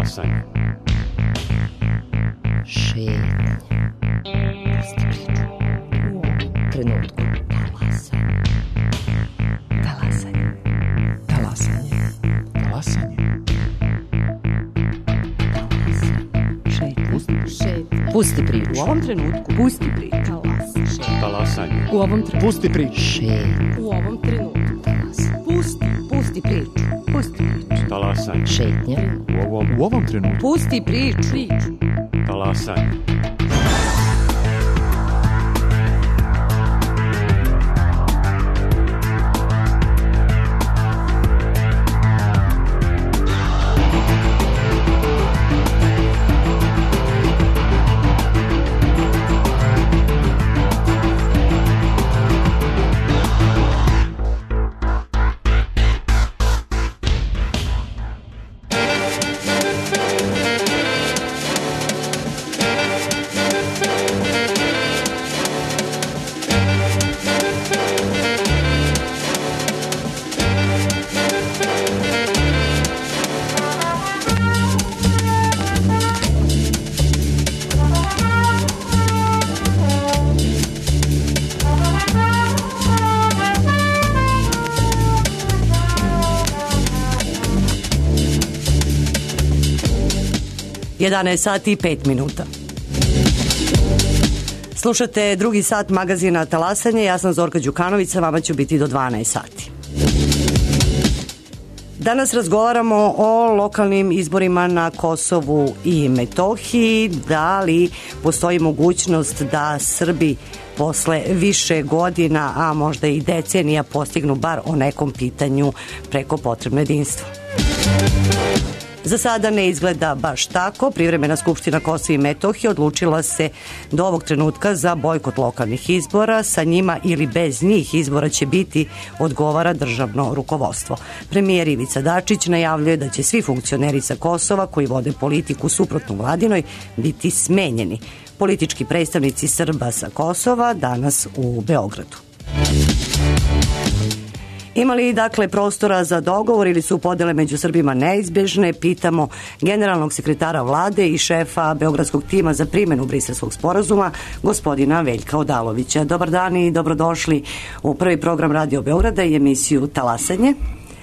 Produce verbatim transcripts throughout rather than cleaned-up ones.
Talasanje. Šetnja. Pusti priču. U ovom trenutku. Talasanje. Talasanje. Talasanje. Talasanje. Šetnja. Pusti priču. U ovom trenutku. Pusti priču. Talasanje. U ovom trenutku. Pusti priču. Šetnja. U ovom trenutku. Pusti. Pusti priču. Pusti priču. Talasanje. Šetnja. U ovom, U ovom trenutku. Pusti priču. Priču. talasanje. jedanaest sati i pet minuta. Slušate drugi sat magazina Talasanje, ja sam Zorka Đukanović, sa vama ću biti do dvanaest sati. Danas razgovaramo o lokalnim izborima na Kosovu i Metohiji. Da li postoji mogućnost da Srbi posle više godina, a možda i decenija, postignu bar o nekom pitanju preko potrebno jedinstvo? Za sada ne izgleda baš tako. Privremena Skupština Kosova i Metohije odlučila se do ovog trenutka za bojkot lokalnih izbora. Sa njima ili bez njih izbora će biti, odgovara državno rukovodstvo. Premijer Ivica Dačić najavljuje da će svi funkcioneri sa Kosova koji vode politiku suprotno vladinoj biti smenjeni. Politički predstavnici Srba sa Kosova danas u Beogradu. Ima li dakle prostora za dogovor ili su podele među Srbima neizbežne? Pitamo generalnog sekretara vlade i šefa beogradskog tima za primjenu Briselskog sporazuma, gospodina Veljka Odalovića. Dobar dan i dobrodošli u prvi program Radio Beograda i emisiju Talasanje.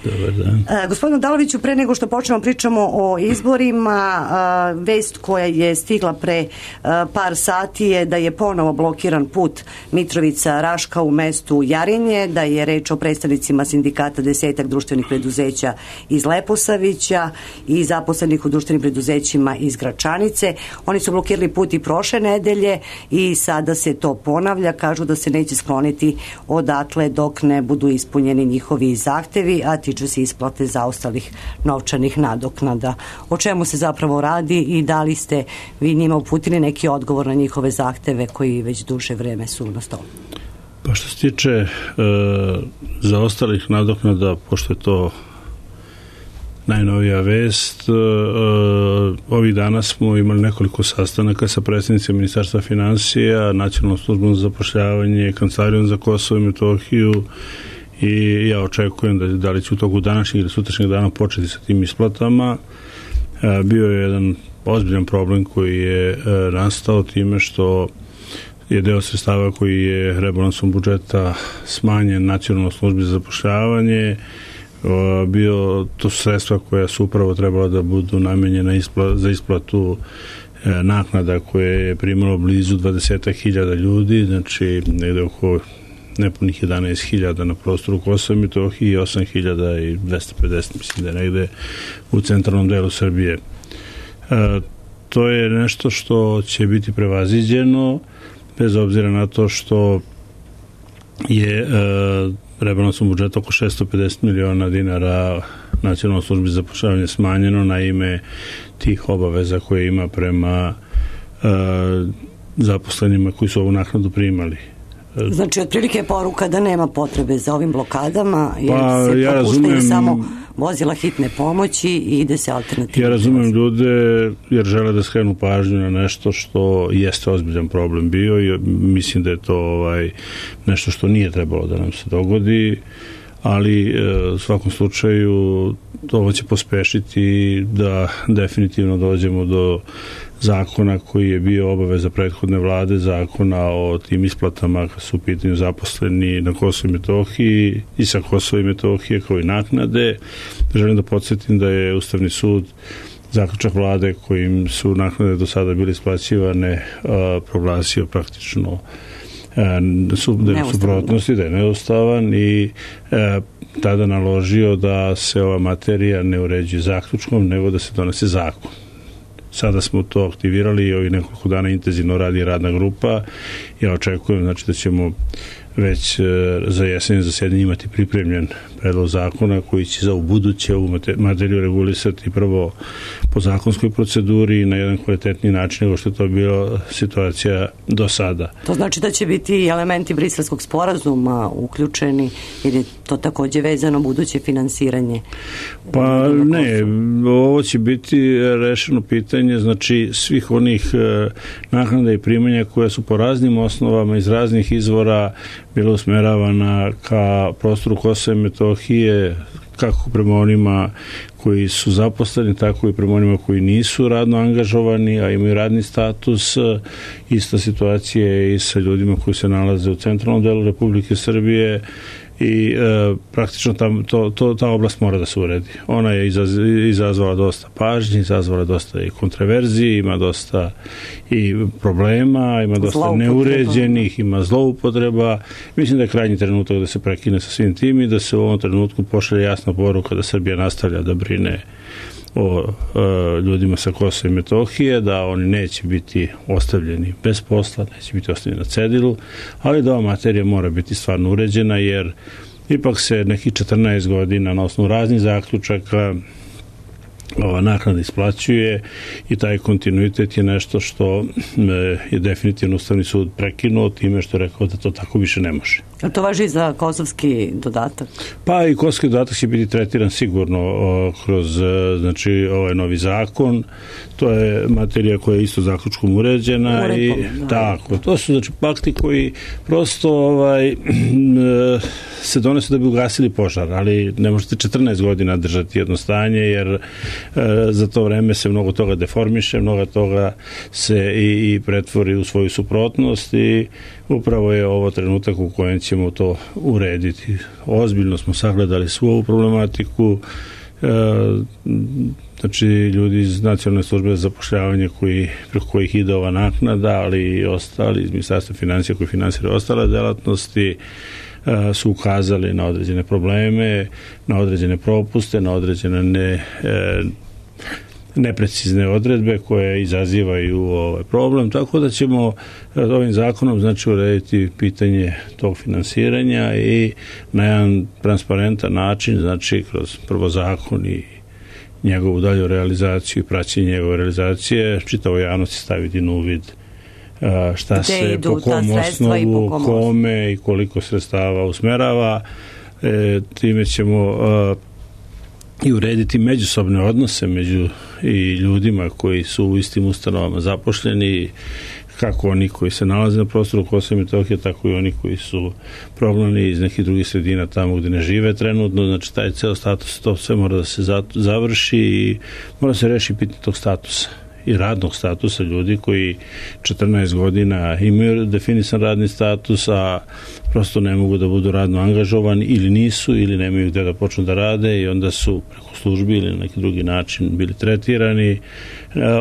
Dobar dan. E, gospodinu Odaloviću, pre nego što počnemo pričamo o izborima, a, vest koja je stigla pre a, par sati je da je ponovo blokiran put Mitrovica-Raška u mestu Jarinje, da je reč o predstavnicima sindikata desetak društvenih preduzeća iz Leposavića i zaposlenih u društvenim preduzećima iz Gračanice. Oni su blokirali put i prošle nedelje i sada se to ponavlja. Kažu da se neće skloniti odatle dok ne budu ispunjeni njihovi zahtevi, a tiču se isplate zaostalih novčanih nadoknada. O čemu se zapravo radi i da li ste vi njima uputili neki odgovor na njihove zahteve koji već duže vreme su na stolu? Pa što se tiče e, zaostalih nadoknada, pošto je to najnovija vest, e, ovih dana smo imali nekoliko sastanaka sa predstavnicima Ministarstva finansija, Nacionalnom službom za zapošljavanje, Kancelarijom za Kosovo i Metohiju, i ja očekujem da, da li će u toku današnjeg ili sutrašnjeg dana početi sa tim isplatama. E, bio je jedan ozbiljan problem koji je e, nastao time što je deo sredstava koji je rebalansom budžeta smanjen Nacionalnoj službi za zapošljavanje. E, bio, to su sredstva koja su upravo trebala da budu namenjena ispla, za isplatu e, naknada koje je primalo blizu dvadeset hiljada ljudi, znači negde oko nepunih jedanaest hiljada na prostoru Kosova i Metohije i osam hiljada dvesta pedeset, mislim da je negde u centralnom delu Srbije. E, to je nešto što će biti prevaziđeno, bez obzira na to što je e, rebalansom budžeta oko šesto pedeset miliona dinara Nacionalnoj službi za zapošljavanje smanjeno na ime tih obaveza koje ima prema e, zaposlenima koji su ovu naknadu primali. Znači, otprilike je poruka da nema potrebe za ovim blokadama, jer pa, se ja propuštaju razumem, samo vozila hitne pomoći i ide se alternativno. Ja razumem ljude jer žele da skrenu pažnju na nešto što jeste ozbiljan problem bio i mislim da je to ovaj, nešto što nije trebalo da nam se dogodi, ali u svakom slučaju ovo će pospešiti da definitivno dođemo do zakona koji je bio obaveza prethodne vlade, zakona o tim isplatama kad su u pitanju zaposleni na Kosovo i Metohiji i sa Kosova i Metohije kao i naknade. Želim da podsjetim da je Ustavni sud zaključak vlade kojim su naknade do sada bile isplaćivane proglasio praktično suprotnosti, da je neustavan i e, tada naložio da se ova materija ne uređuje zaključkom, nego da se donese zakon. Sada smo to aktivirali i ovih nekoliko dana intenzivno radi radna grupa. Ja očekujem znači, da ćemo već e, za jesenje zasedanje imati pripremljen predlog zakona koji će za ubuduće ovu materiju regulisati prvo po zakonskoj proceduri na jedan kvalitetniji način nego što je to bila situacija do sada. To znači da će biti elementi briselskog sporazuma uključeni ili je to takođe vezano buduće finansiranje? Pa ne, ovo će biti rešeno pitanje znači svih onih e, naknada i primanja koje su po raznim osnovama iz raznih izvora bila usmeravana ka prostoru Kosova i Metohije, kako prema onima koji su zaposleni, tako i prema onima koji nisu radno angažovani, a imaju radni status. Ista situacija je i sa ljudima koji se nalaze u centralnom delu Republike Srbije i e, praktično tam, to, to, ta oblast mora da se uredi. Ona je izaz, izazvala dosta pažnje, izazvala dosta i kontroverzije, ima dosta i problema, ima dosta neuređenih, ima zloupotreba. Mislim da je krajnji trenutak da se prekine sa svim tim i da se u ovom trenutku pošalje jasna poruka da Srbija nastavlja da brine o e, ljudima sa Kosova i Metohije, da oni neće biti ostavljeni bez posla, neće biti ostavljeni na cedilu, ali da ova materija mora biti stvarno uređena, jer ipak se nekih četrnaest godina na osnovu raznih zaključaka ova naknada isplaćuje i taj kontinuitet je nešto što je definitivno Ustavni sud prekinuo time što je rekao da to tako više ne može. A to važi za kosovski dodatak? Pa i kosovski dodatak će biti tretiran sigurno o, kroz znači, ovaj novi zakon. To je materija koja je isto zaključkom uređena. Uredbom, i da. Tako. To su znači pakti koji prosto ovaj, se donose da bi ugasili požar, ali ne možete četrnaest godina držati jedno stanje, jer e, za to vreme se mnogo toga deformiše, mnogo toga se i, i pretvori u svoju suprotnost i upravo je ovo trenutak u kojem ćemo to urediti. Ozbiljno smo sagledali svu ovu problematiku, e, znači ljudi iz Nacionalne službe za zapošljavanje koji, preko kojih ide ova naknada, ali i ostali iz Ministarstva financija koji finansiraju ostale delatnosti, e, su ukazali na određene probleme, na određene propuste, na određene ne, e, neprecizne odredbe koje izazivaju ovaj problem, tako da ćemo ovim zakonom znači urediti pitanje tog finansiranja i na jedan transparentan način, znači kroz prvo zakon i njegovu dalju realizaciju i praćenje njegove realizacije, čitavo javnosti staviti na uvid šta Gde se, po kom osnovu, po kome i koliko sredstava usmerava. E, time ćemo a, i urediti međusobne odnose među i ljudima koji su u istim ustanovama zaposleni, kako oni koji se nalaze na prostoru Kosova i Metohije, tako i oni koji su prognani iz nekih drugih sredina tamo gde ne žive trenutno. Znači, taj ceo status, to sve mora da se završi i mora se reši pitanje tog statusa i radnog statusa ljudi koji četrnaest godina imaju definisan radni status, a prosto ne mogu da budu radno angažovani ili nisu, ili nemaju gde da počnu da rade i onda su preko službi ili na neki drugi način bili tretirani.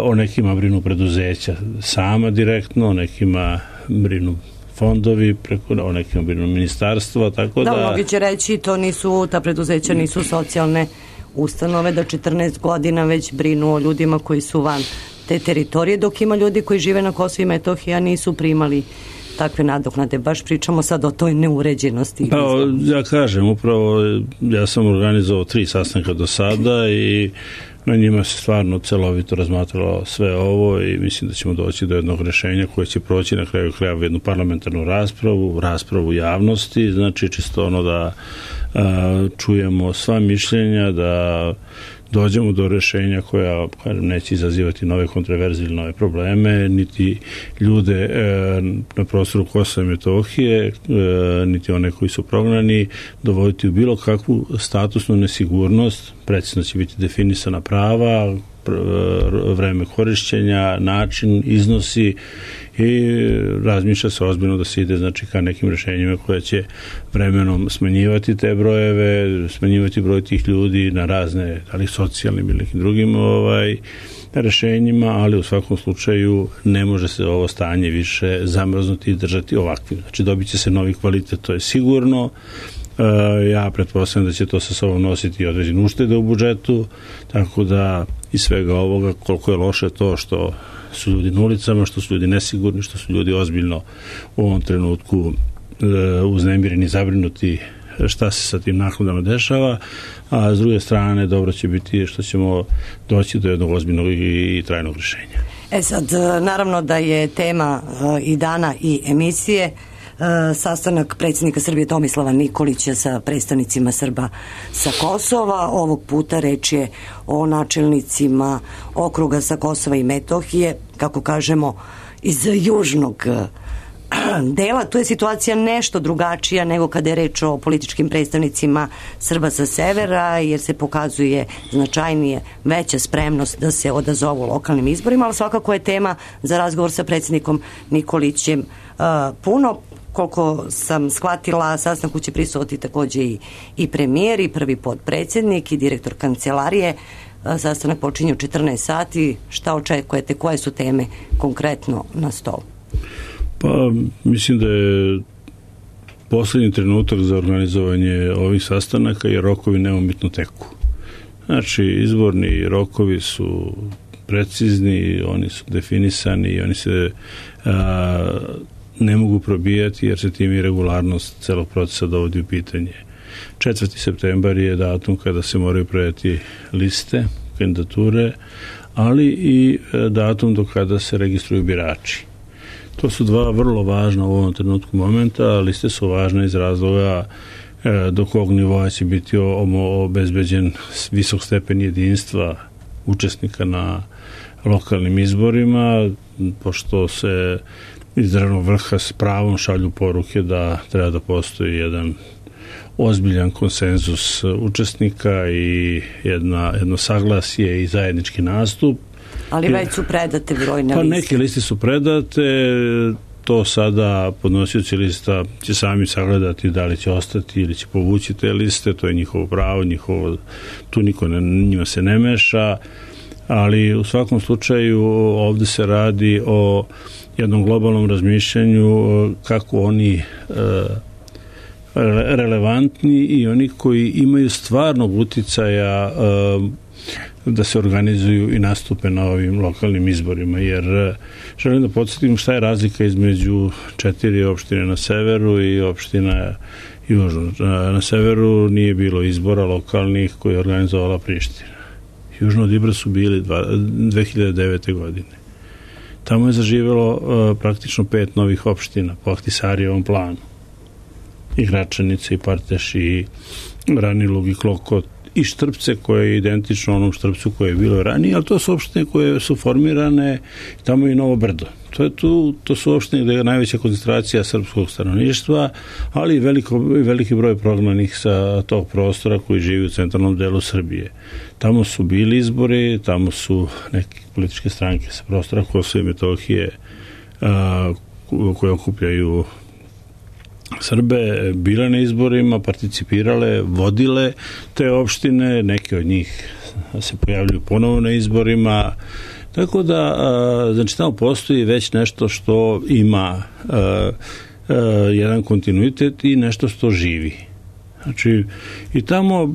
O nekima brinu preduzeća sama direktno, o nekima brinu fondovi, preko, o nekima brinu ministarstva, tako da... Da, mnogi će reći, to nisu, ta preduzeća nisu socijalne ustanove, da četrnaest godina već brinu o ljudima koji su van te teritorije, dok ima ljudi koji žive na Kosovu i Metohiji, a nisu primali takve nadoknade. Baš pričamo sad o toj neuređenosti. Pa, ja kažem, upravo ja sam organizovao tri sastanka do sada i na njima se stvarno celovito razmatralo sve ovo i mislim da ćemo doći do jednog rešenja koje će proći na kraju krajeva jednu parlamentarnu raspravu, raspravu javnosti, znači čisto ono da čujemo sva mišljenja, da dođemo do rešenja koja neće izazivati nove kontroverze ili nove probleme, niti ljude na prostoru Kosova i Metohije, niti one koji su prognani, dovoditi u bilo kakvu statusnu nesigurnost. Precizno će biti definisana prava, vreme korišćenja, način, iznosi i razmišlja se ozbiljno da se ide znači ka nekim rešenjima koja će vremenom smanjivati te brojeve, smanjivati broj tih ljudi na razne, ali socijalnim ili nekim drugim ovaj, rešenjima, ali u svakom slučaju ne može se ovo stanje više zamrznuti i držati ovakvim. Znači dobit će se novi kvalitet, to je sigurno. Ja pretpostavljam da će to sa sobom nositi određene uštede u budžetu, tako da iz svega ovoga, koliko je loše to što su ljudi na ulicama, što su ljudi nesigurni, što su ljudi ozbiljno u ovom trenutku uznemireni, zabrinuti šta se sa tim naknadama dešava, a s druge strane dobro će biti što ćemo doći do jednog ozbiljnog i trajnog rješenja. E sad, naravno da je tema i dana i emisije sastanak predsjednika Srbije Tomislava Nikolića sa predstavnicima Srba sa Kosova. Ovog puta reč je o načelnicima okruga sa Kosova i Metohije, kako kažemo, iz južnog dela. Tu je situacija nešto drugačija nego kada je reč o političkim predstavnicima Srba sa severa, jer se pokazuje značajnije veća spremnost da se odazovu lokalnim izborima, ali svakako je tema za razgovor sa predsjednikom Nikolićem uh, puno. Koliko sam shvatila, sastanku će prisustvovati takođe i, i premijer i prvi potpredsjednik i direktor kancelarije. Sastanak počinje u četrnaest sati. Šta očekujete? Koje su teme konkretno na stolu? Pa, mislim da je poslednji trenutak za organizovanje ovih sastanaka jer rokovi neumitno teku. Znači, izborni rokovi su precizni, oni su definisani i oni se a, ne mogu probijati jer se tim i regularnost celog procesa dovodi u pitanje. četvrti septembar je datum kada se moraju predati liste, kandidature, ali i datum do kada se registruju birači. To su dva vrlo važna u ovom trenutku momenta. Liste su važne iz razloga do kog nivoa će biti obezbeđen visok stepen jedinstva učesnika na lokalnim izborima, pošto se iz državnog vrha s pravom šalju poruke da treba da postoji jedan ozbiljan konsenzus učesnika i jedna, jedno saglasje i zajednički nastup. Ali već su predate brojne pa liste. Neke liste su predate, to sada podnosioci lista će sami sagledati da li će ostati ili će povući te liste, to je njihovo pravo, njihovo, tu niko ne, njima se ne meša, ali u svakom slučaju ovde se radi o jednom globalnom razmišljanju kako oni relevantni i oni koji imaju stvarnog uticaja da se organizuju i nastupe na ovim lokalnim izborima, jer želim da podsjetim šta je razlika između četiri opštine na severu i opština južno. Na severu nije bilo izbora lokalnih koje je organizovala Priština. Južno od Ibra su bili dve hiljade devete. godine. Tamo je zaživelo uh, praktično pet novih opština po Ahtisarijevom planu. I Gračanice, i Parteš, i Ranilug, i Klokot, i Štrpce koje je identično onom Štrpcu koje je bilo ranije, ali to su opštine koje su formirane, tamo je i Novo Brdo. To, je tu, to su opštine gde je najveća koncentracija srpskog stanovništva, ali i veliko, veliki broj prognanih sa tog prostora koji živi u centralnom delu Srbije. Tamo su bili izbori, tamo su neke političke stranke sa prostora Kosova i Metohije a, koje okupljaju Srbe, bile na izborima, participirale, vodile te opštine, neke od njih se pojavljuju ponovo na izborima, tako da, znači, tamo postoji već nešto što ima a, a, jedan kontinuitet i nešto što živi. Znači, i tamo,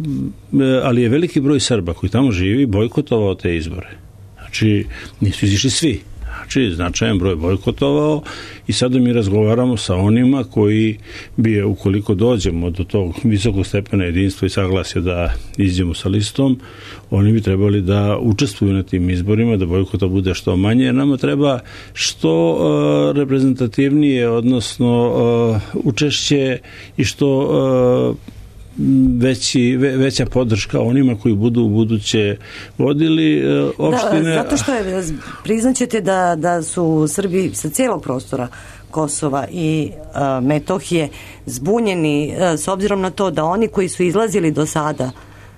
ali je veliki broj Srba koji tamo živi bojkotovao te izbore. Znači, nisu izišli svi. Znači, značajan broj bojkotovao i sada mi razgovaramo sa onima koji bi, ukoliko dođemo do tog visokog stepena jedinstva i saglasja da iđemo sa listom, oni bi trebali da učestvuju na tim izborima, da bojkota bude što manje, jer nama treba što uh, reprezentativnije, odnosno uh, učešće i što uh, veći, ve, veća podrška onima koji budu u buduće vodili opštine. Da, zato što je, priznaćete da, da su Srbi sa cijelog prostora Kosova i a, Metohije zbunjeni a, s obzirom na to da oni koji su izlazili do sada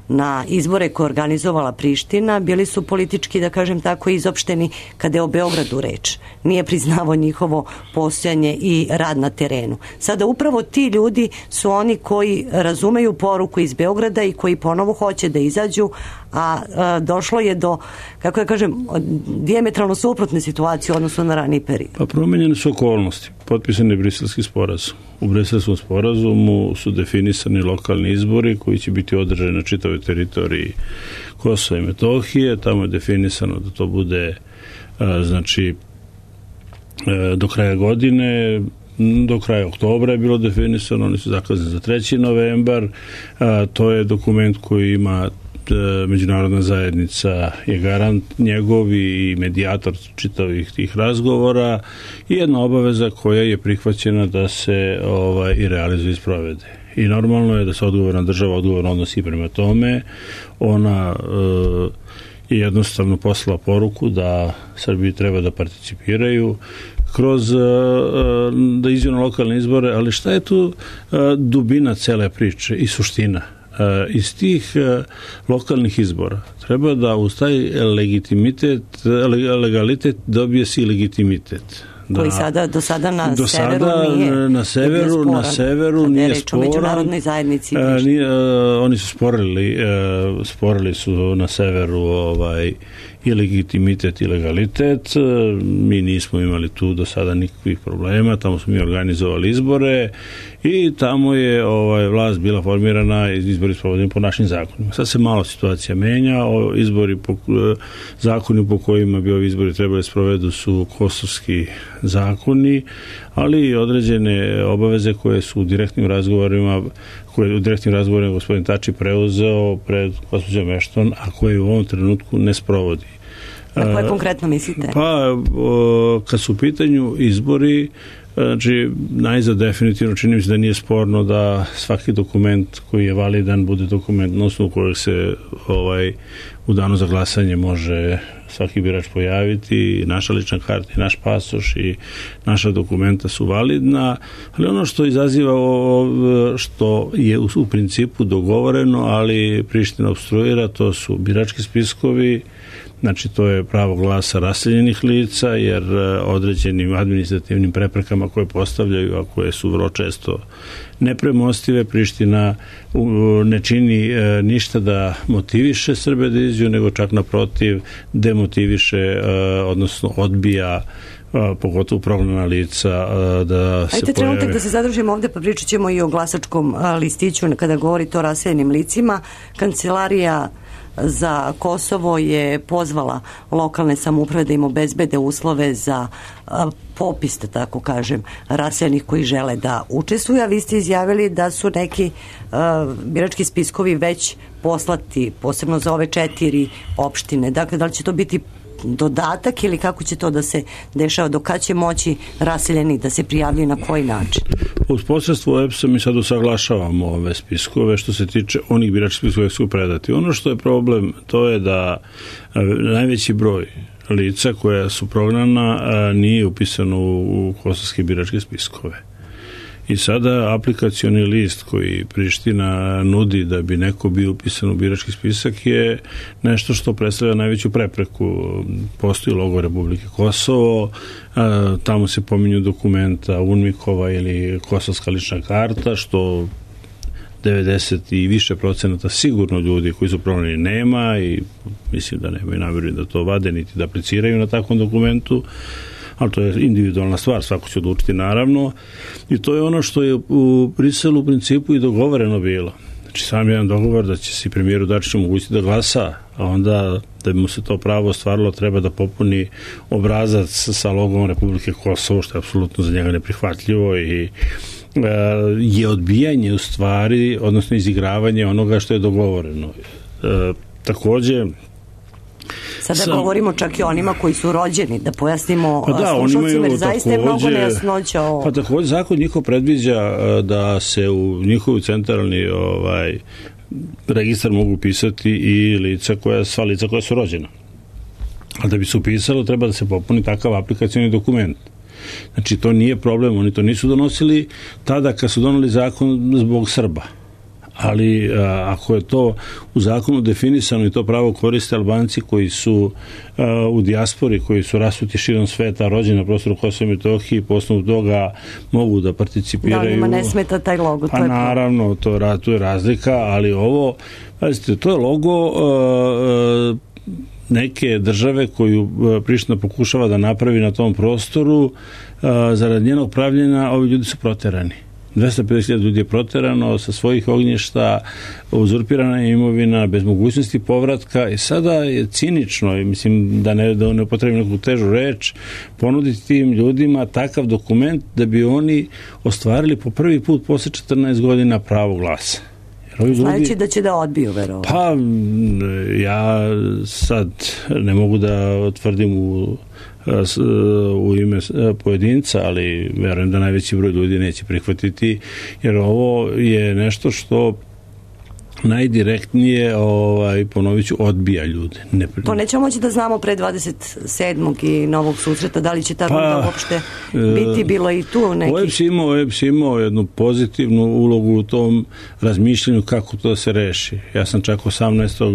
na izbore koje organizovala Priština bili su politički, da kažem tako, izopšteni kada je o Beogradu reč. Nije priznavo njihovo postojanje i rad na terenu. Sada upravo ti ljudi su oni koji razumeju poruku iz Beograda i koji ponovo hoće da izađu, a, a došlo je do, kako ja kažem, dijametralno suprotne situacije odnosno na raniji period. Pa promenjene su okolnosti. Potpisan je Briselski sporazum. U Briselskom sporazumu su definisani lokalni izbori koji će biti održani na čitavoj teritoriji Kosova i Metohije. Tamo je definisano da to bude a, znači a, do kraja godine, do kraja oktobra je bilo definisano, oni su zakazani za treći novembar. A, to je dokument koji ima međunarodna zajednica je garant njegov i medijator čitavih tih razgovora i jedna obaveza koja je prihvaćena da se ovaj, i realizuje i sprovede. I normalno je da se odgovorna država odgovorno odnosi prema tome. Ona e, je jednostavno poslala poruku da Srbiji treba da participiraju kroz e, da iđu na lokalne izbore, ali šta je tu e, dubina cele priče i suština? Iz tih lokalnih izbora treba da uz taj legitimitet, legalitet dobije si legitimitet. Da, koji sada, do sada na do severu sada, nije, na severu, nije na severu nije sporan. Međunarodnoj zajednici. A, nije, a, oni su sporili, a, sporili su na severu ovaj, i legitimitet i legalitet. Mi nismo imali tu do sada nikakvih problema, tamo smo mi organizovali izbore i tamo je ovaj, vlast bila formirana i izbori sprovodeni po našim zakonima. Sad se malo situacija menja, o, izbori po, zakoni po kojima bi ovi izbori trebali sprovedu su kosovski zakoni, ali i određene obaveze koje su u direktnim razgovorima koje u direktnim razgovorima gospodin Tači preuzeo pred gospođom Ešton, a koje u ovom trenutku ne sprovodi. Na koje konkretno mislite? Pa, o, kad su u pitanju izbori, znači, najzad definitivno čini mi se da nije sporno da svaki dokument koji je validan bude dokument na osnovu kojeg se ovaj, u danu za glasanje može svaki birač pojaviti, naša lična karta i naš pasoš i naša dokumenta su validna, ali ono što izaziva što je u, u principu dogovoreno, ali Priština obstruira, to su birački spiskovi. Znači, to je pravo glasa raseljenih lica, jer određenim administrativnim preprekama koje postavljaju, a koje su vrlo često nepremostive, Priština ne čini ništa da motiviše Srbe da izađu, nego čak naprotiv demotiviše, odnosno odbija pogotovo prognana lica da se Ajde, pojave. trenutak da se zadržimo ovde, pa pričat ćemo i o glasačkom listiću kada govorite o raseljenim licima. Kancelarija za Kosovo je pozvala lokalne samouprave da im obezbede uslove za a, popis, da tako kažem, raseljenih koji žele da učestvuju, a vi ste izjavili da su neki a, birački spiskovi već poslati, posebno za ove četiri opštine. Dakle, da li će to biti dodatak ili kako će to da se dešava, do kada će moći raseljeni da se prijavljaju, na koji način? Uz posredstvo E P S-a mi sad usaglašavamo ove spiskove što se tiče onih biračkih spiskova koji su predati. Ono što je problem, to je da najveći broj lica koja su prognana nije upisano u kosovske biračke spiskove. I sada aplikacioni list koji Priština nudi da bi neko bio upisan u birački spisak je nešto što predstavlja najveću prepreku. Postoji logo Republike Kosovo, tamo se pominju dokumenta UNMIK-ova ili kosovska lična karta, što devedeset i više procenata sigurno ljudi koji su prognani nema i mislim da nemaju namjeru da to vade niti da apliciraju na takvom dokumentu, ali to je individualna stvar, svako će odlučiti naravno, i to je ono što je u Briselu u principu i dogovoreno bilo. Znači sam jedan dogovor da će se premijeru Dačiću omogućiti da glasa, a onda da bi mu se to pravo ostvarilo treba da popuni obrazac sa logom Republike Kosovo, što je apsolutno za njega neprihvatljivo i je odbijanje u stvari, odnosno izigravanje onoga što je dogovoreno. E, takođe Sada Sam, govorimo čak i onima koji su rođeni, da pojasnimo pa da, slušalcima, jer zaista je mnogo nejasnoća o... Pa također zakon njihov predviđa da se u njihov centralni ovaj, registar mogu pisati i lica koja, sva lica koja su rođena. A da bi se upisalo, treba da se popuni takav aplikacioni dokument. Znači, to nije problem, oni to nisu donosili tada kad su doneli zakon zbog Srba. Ali a, ako je to u zakonu definisano i to pravo koriste Albanci koji su a, u dijaspori, koji su rasuti širom sveta, rođeni na prostoru Kosova i Metohije, po osnovu toga mogu da participiraju. Da, njima ne smeta taj logo. Pa naravno, to, to je razlika, ali ovo, pazite, to je logo a, a, neke države koju Priština pokušava da napravi na tom prostoru, a, zarad njenog pravljenja ovi ljudi su proterani. dvesta pedeset hiljada ljudi je proterano sa svojih ognjišta, uzurpirana je imovina, bez mogućnosti povratka i sada je cinično, mislim da ne, da ne upotrebim neku težu reč, ponuditi tim ljudima takav dokument da bi oni ostvarili po prvi put posle četrnaest godina pravo glasa. Znajući ljudi, da će da odbiju, verovatno. Pa, ja sad ne mogu da tvrdim u, u ime pojedinca, ali verujem da najveći broj ljudi neće prihvatiti, jer ovo je nešto što najdirektnije, ovaj, ponovit ću, odbija ljude. Ne... To nećemo moći da znamo pre dvadeset sedmog i novog susreta, da li će ta runda pa, uopšte biti, bilo i tu neki... O E P S imao, O E P S imao jednu pozitivnu ulogu u tom razmišljanju kako to se reši. Ja sam čak osamnaestog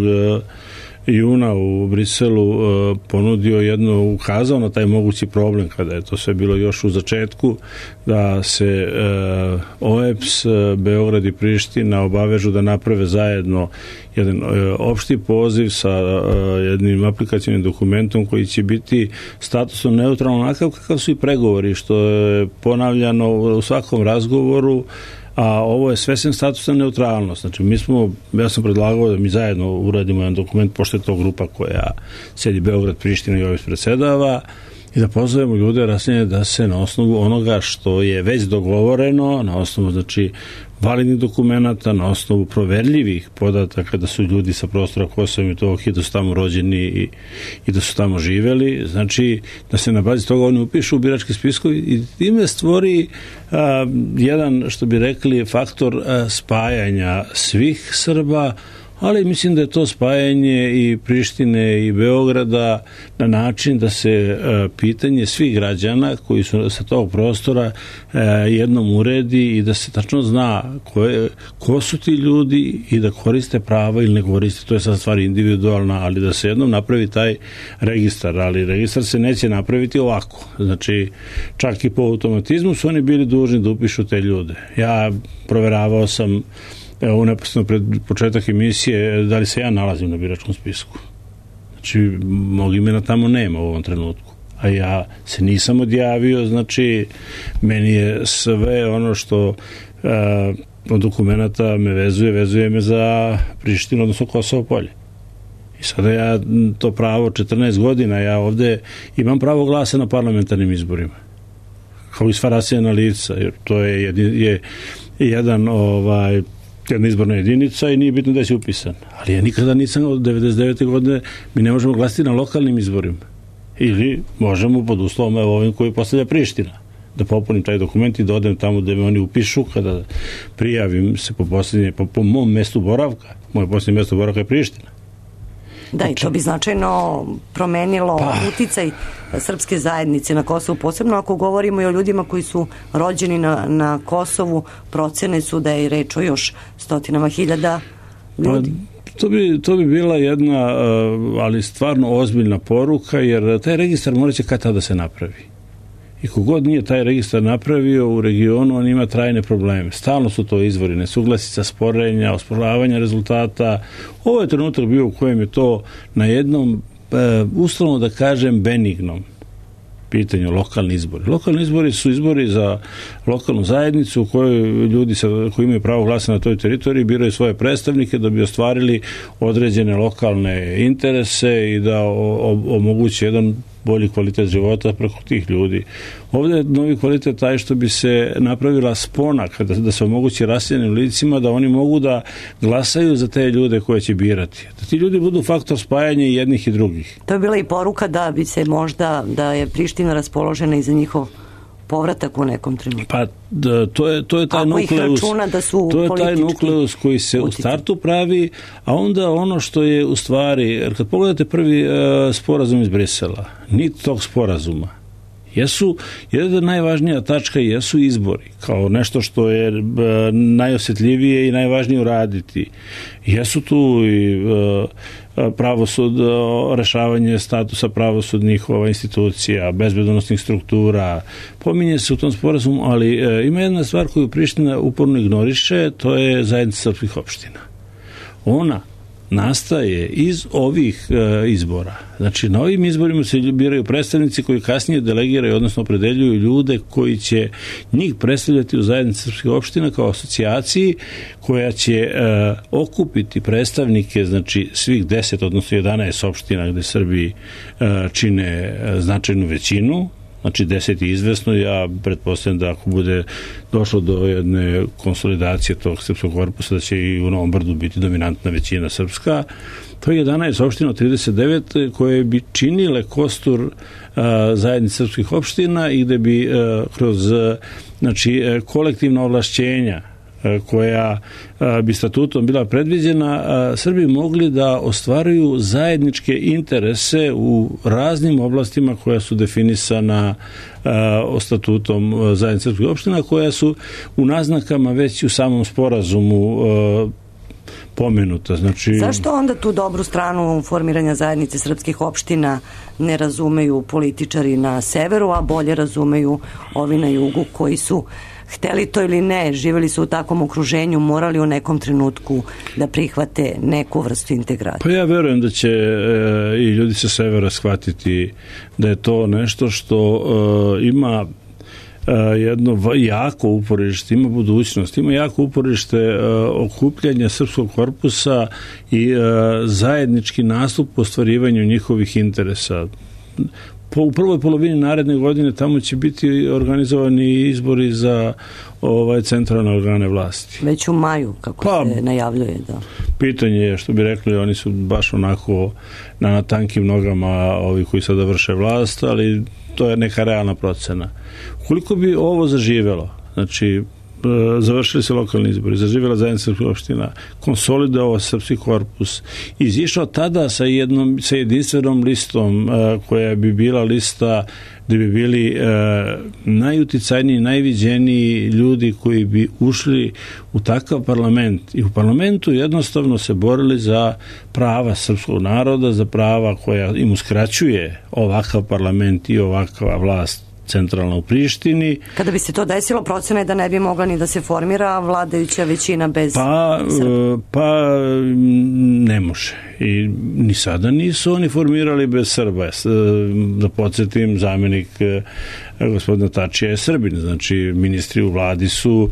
juna u Briselu uh, ponudio jedno, ukazao na taj mogući problem kada je to sve bilo još u začetku, da se uh, O E P S, uh, Beograd i Priština obavežu da naprave zajedno jedan uh, opšti poziv sa uh, jednim aplikacijnim dokumentom koji će biti statusno neutralno, onakav kakav su i pregovori, što je ponavljano u svakom razgovoru, a ovo je svesem statusna neutralnost. Znači, mi smo, ja sam predlagao da mi zajedno uradimo jedan dokument, pošto je to grupa koja sedi Beograd, Priština i O E P S predsedava, i da pozovemo ljude rasnije da se na osnovu onoga što je već dogovoreno, na osnovu, znači, validnih dokumenata, na osnovu proverljivih podataka da su ljudi sa prostora Kosova i Metohije, da su tamo rođeni i, i da su tamo živeli, znači da se na bazi toga oni upišu u birački spiskovi i time stvori a, jedan, što bi rekli, faktor a, spajanja svih Srba, ali mislim da je to spajanje i Prištine i Beograda na način da se e, pitanje svih građana koji su sa tog prostora e, jednom uredi i da se tačno zna ko, je, ko su ti ljudi i da koriste prava ili ne koriste, to je sad stvar individualna, ali da se jednom napravi taj registar, ali registar se neće napraviti ovako. Znači, čak i po automatizmu su oni bili dužni da upišu te ljude. Ja proveravao sam evo neposredno pred početak emisije da li se ja nalazim na biračkom spisku. Znači, mog imena tamo nema u ovom trenutku. A ja se nisam odjavio, znači, meni je sve ono što a, od dokumenta me vezuje, vezuje me za Prištinu, odnosno Kosovo polje. I sada ja to pravo četrnaest godina, ja ovde imam pravo glasa na parlamentarnim izborima. Kao i sva rasijena lica, jer to je, je, je jedan ovaj jedna izborna jedinica i nije bitno da je upisan. Ali ja nikada nisam od devedeset devete godine, mi ne možemo glasiti na lokalnim izborima. Ili možemo pod uslovom evo ovim koji postavlja Priština. Da popunim taj dokument i da odem tamo da me oni upišu kada prijavim se po posljednje, po, po mom mestu boravka. Moje posljednje mesto boravka je Priština. Da, i to bi značajno promenilo pa. uticaj srpske zajednice na Kosovu, posebno ako govorimo i o ljudima koji su rođeni na, na Kosovu, procene su da je reč o još stotinama hiljada ljudi. Pa, to bi, to bi bila jedna, ali stvarno ozbiljna poruka, jer taj registar morat će kad tada da se napravi. I kogod nije taj registar napravio u regionu, on ima trajne probleme. Stalno su to izvori nesuglasica, sporenja, osporavanja rezultata. Ovo je trenutak bio u kojem je to na jednom, e, uslovno da kažem, benignom pitanju lokalni izbori. Lokalni izbori su izbori za lokalnu zajednicu u kojoj ljudi sa, koji imaju pravo glasa na toj teritoriji biraju svoje predstavnike da bi ostvarili određene lokalne interese i da o, o, omogući jedan bolji kvalitet života preko tih ljudi. Ovdje je novi kvalitet taj što bi se napravila spona, kada, da se omogući raseljenim licima da oni mogu da glasaju za te ljude koje će birati. Da ti ljudi budu faktor spajanja i jednih i drugih. To je bila i poruka da bi se možda, da je Priština raspoložena i za njihov povratak u nekom trenutku. Pa da, to je to je taj Ako nukleus. Da su to je taj nukleus koji se utjecaj. U startu pravi, a onda ono što je u stvari, jer kad pogledate prvi uh, sporazum iz Brisela, nit tog sporazuma jesu, jedna najvažnija tačka jesu izbori, kao nešto što je uh, najosjetljivije i najvažnije uraditi. Jesu tu i uh, pravosud, rešavanje statusa pravosudnih ova institucija, bezbednosnih struktura, pominje se u tom sporazumu, ali e, ima jedna stvar koju Priština uporno ignoriše, to je zajednica srpskih opština. Ona nastaje iz ovih e, izbora. Znači, na ovim izborima se biraju predstavnici koji kasnije delegiraju, odnosno opredeljuju ljude koji će njih predstavljati u zajednici srpskih opština kao asocijaciji koja će e, okupiti predstavnike, znači svih deset, odnosno jedanaest opština gde Srbi e, čine e, značajnu većinu. Znači deset je izvesno, ja pretpostavljam da ako bude došlo do jedne konsolidacije tog srpskog korpusa, da će i u Novom Brdu biti dominantna većina srpska. To je jedanaest opština od trideset devet koje bi činile kostur a, zajednice srpskih opština i gde bi a, kroz a, znači, a, kolektivna ovlašćenja koja bi statutom bila predviđena, Srbi mogli da ostvaruju zajedničke interese u raznim oblastima koja su definisana statutom zajednice srpskih opština, koja su u naznakama već u samom sporazumu pomenuta. Znači... Zašto onda tu dobru stranu formiranja zajednice srpskih opština ne razumeju političari na severu, a bolje razumeju ovi na jugu koji su hteli to ili ne, živjeli su u takvom okruženju, morali u nekom trenutku da prihvate neku vrstu integracije? Pa ja verujem da će e, i ljudi sa severa shvatiti da je to nešto što e, ima e, jedno jako uporište, ima budućnost, ima jako uporište e, okupljanja srpskog korpusa i e, zajednički nastup u ostvarivanju njihovih interesa. Po, u prvoj polovini naredne godine tamo će biti organizovani izbori za ovaj centralne organe vlasti. Već u maju, kako pa, se najavljuje, da. Pitanje je, što bi rekli, oni su baš onako na tankim nogama ovi koji sada vrše vlast, ali to je neka realna procena. Koliko bi ovo zaživelo, znači završili se lokalni izbori, zaživjela zajednica srpskih opština, konsolidovao srpski korpus, izišao tada sa jednom, sa jedinstvenom listom uh, koja bi bila lista gde bi bili uh, najuticajniji, najviđeniji ljudi koji bi ušli u takav parlament i u parlamentu jednostavno se borili za prava srpskog naroda, za prava koja im uskraćuje ovakav parlament i ovakva vlast centralna u Prištini. Kada bi se to desilo, procena je da ne bi mogla ni da se formira vladajuća većina bez pa, Srba. Pa ne može. I ni sada nisu oni formirali bez Srba. Da podsjetim, zamjenik gospodina Tačija je Srbin. Znači, ministri u vladi su,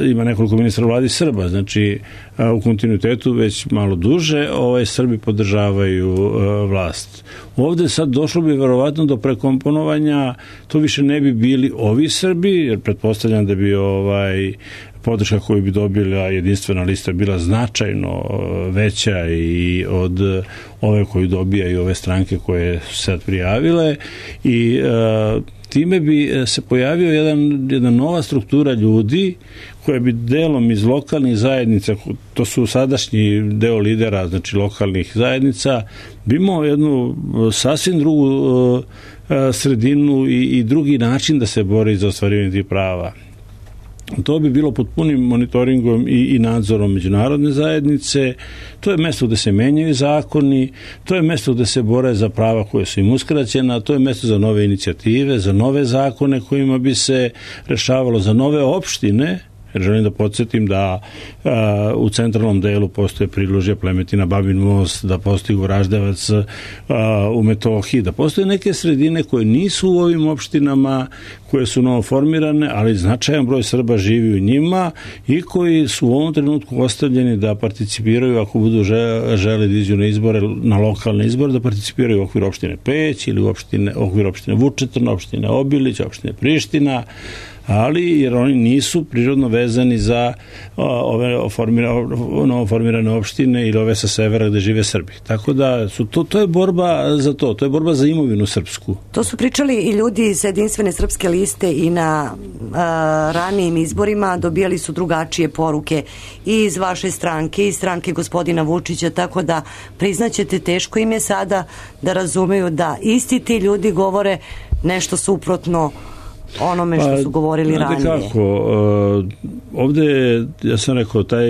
ima nekoliko ministra u vladi Srba. Znači, u kontinuitetu već malo duže ovaj Srbi podržavaju vlast. Ovde sad došlo bi verovatno do prekomponovanja, to više ne bi bili ovi Srbi, jer pretpostavljam da bi ovaj podrška koju bi dobila jedinstvena lista bila značajno veća i od ove koju dobijaju ove stranke koje su sad prijavile i e, time bi se pojavio jedan, jedna nova struktura ljudi koja bi delom iz lokalnih zajednica, to su sadašnji deo lidera, znači lokalnih zajednica, bi imao jednu sasvim drugu sredinu i, i drugi način da se bori za ostvarivanje tih prava. To bi bilo pod punim monitoringom i, i nadzorom međunarodne zajednice. To je mesto gde se menjaju zakoni, to je mesto gde se bore za prava koje su im uskraćena, to je mesto za nove inicijative, za nove zakone kojima bi se rešavalo, za nove opštine Jer želim da podsjetim da a, u centralnom delu postoje Prilužje, Plemetina, Babin Most, da postoji Goraždevac a, u Metohiji, da postoje neke sredine koje nisu u ovim opštinama, koje su novoformirane, ali značajan broj Srba živi u njima i koji su u ovom trenutku ostavljeni da participiraju, ako budu žele da iđu na izbore, na lokalne izbore, da participiraju u okviru opštine Peć ili u opštine, okviru opštine Vučetrna, opštine Obilić, opštine Priština, ali jer oni nisu prirodno vezani za ove novoformirane opštine ili ove sa severa gde žive Srbi. Tako da su to, to je borba za to, to je borba za imovinu srpsku. To su pričali i ljudi iz Jedinstvene srpske liste i na a, ranijim izborima dobijali su drugačije poruke i iz vaše stranke i iz stranke gospodina Vučića, tako da priznaćete, teško im je sada da razumeju da isti ti ljudi govore nešto suprotno onome što su govorili pa, ranije. Kako, ovde, ja sam rekao, taj